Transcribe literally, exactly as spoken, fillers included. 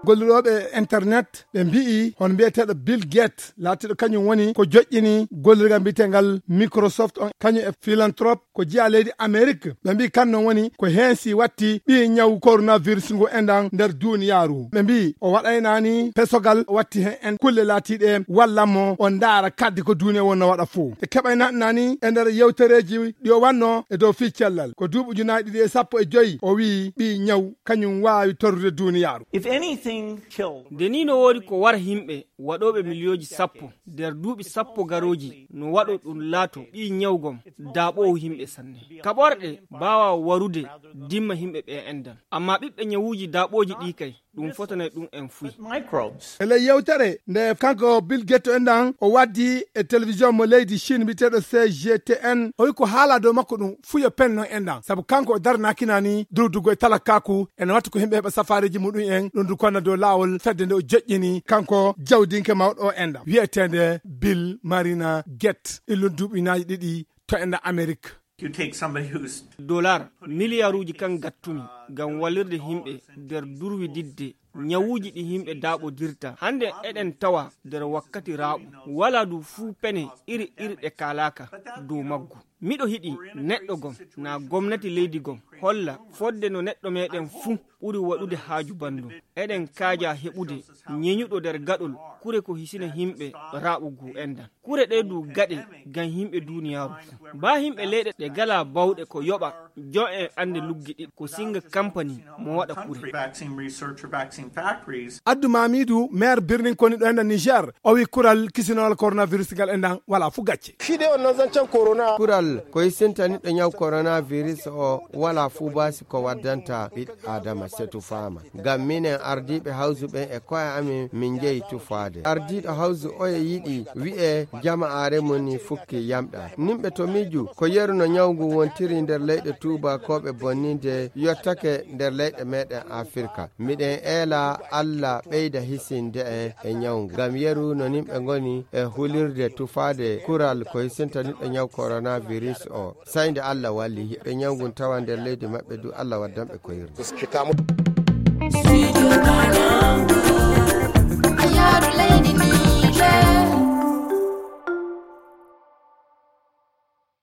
Gollirooɓe internet ɓe mbi'i hono mbiyeteeɗo Bill Gates laatiiɗo kañum woni ko joƴƴini gollirgal mbiyetegal Microsoft on, kañum e philanthrope ko jeyaa leydi Amerik. Ɓe mbi'i kan non woni ko heen si watti ɓii ñaw coronavirus ngu enɗan nder duuniyaaru. Ɓe mbi'i o waɗaynaani pesogal, o watti heen en kulle laatiiɗe wallan mo o ndaara kaddi ko duuniya wonno waɗa fof. E keɓaynaɗnaani e nder yewtereeji ɗi o wanno e dow fii cellal ko duuɓi ujunaaji ɗiɗi e sappo e joyi, o wi'i ɓii ñaw kañum waawi torrude duuniyaaru. Nde nii no woodi ko wara yimɓe waɗooɓe miliyooji sappo nder duuɓi sappo garooji, no waɗo ɗum laato ɓii ñawgom daaɓoowo yimɓe sanne. Kaɓorɗe mbaawaa warude dimma yimɓe ɓe enɗan. Ammaa ɓiɓɓe ñawuuji daaɓooji ɗii kay, ɗum fotanay ɗum en fuy. E ley yewtere nde kanko Bill Gates enɗan o waddi e télévision mo leydi Chine mbiyeteeɗo C G T N, o wi ko haala dow makko ɗum fuyo pen non enɗan. Sabu kanko o daranaakina ni durdugo e talakaaku, ene watti ko yimɓe heɓa safaareeji muɗum en, ɗum du konna dow laawol fedde nde o joƴƴini kanko jawdinke mawɗo o enɗan. Wiyeteende Bill Marina Gates, illun duuɓi naaji ɗiɗi to enɗan Amerik. Dolar miliyaaruuji kan gattumi ngam wallirde yimɓe nder durwididde ñawuuji ɗi yimɓe daaɓodirta. Hannde eɗen tawa nder wakkati raaɓu. Walaa du fuu pene iri iri ɗe kaalaaka dow maggu. Miɗo hiɗi neɗɗo gom, naa gomnati leydi gom, holla fodde no neɗɗo meɗen fuu ɓuri waɗude haaju banndum. Eɗen kaaja heɓude ñeñuɗo nder gaɗol kure ko hisina yimɓe raaɓugu enɗan. Kure ɗe du gaɗe ngam yimɓe duuniyaaru fuu. Baa yimɓe leyɗe ɗe galaa bawɗe ko yoɓa jo en annde luggi ɗiɗi ko singa kampani mo waɗa kure. Addu Mamidu, maire birnin koni ɗo enɗan Niger, o wi kural kisinowal coronavirus ngal enɗan wala fu gacce. Kural ko hisintaniɗo ñaw coronavirus o wala fu baasi ko waddanta ɓiɗɗo Adama setu faama. Ngam minen ardiiɓe hawsu ɓen e ko'e amin min njehi tufaade. Ardiiɗo hawsu oye yiɗi wi'e jama'aare mum ni fukki yamɗa. Nimɓe to miiju ko yeru no ñaw ngun wontiri nder leyɗe tuubakooɓe bonninde yottake nder leyɗe meɗen Afirka. Miɗen eela Alla ɓeyda hisinde en e ñaw ngun. Ngam yeru no nimɓe ngoni e hulirde tufaade kural ko hisintaniɗo ñaw coronavirus o. Sey nde Allah walli, hiɓe ñawngun tawa nder leydi maɓɓe du, Allah waddanɓe koyirde.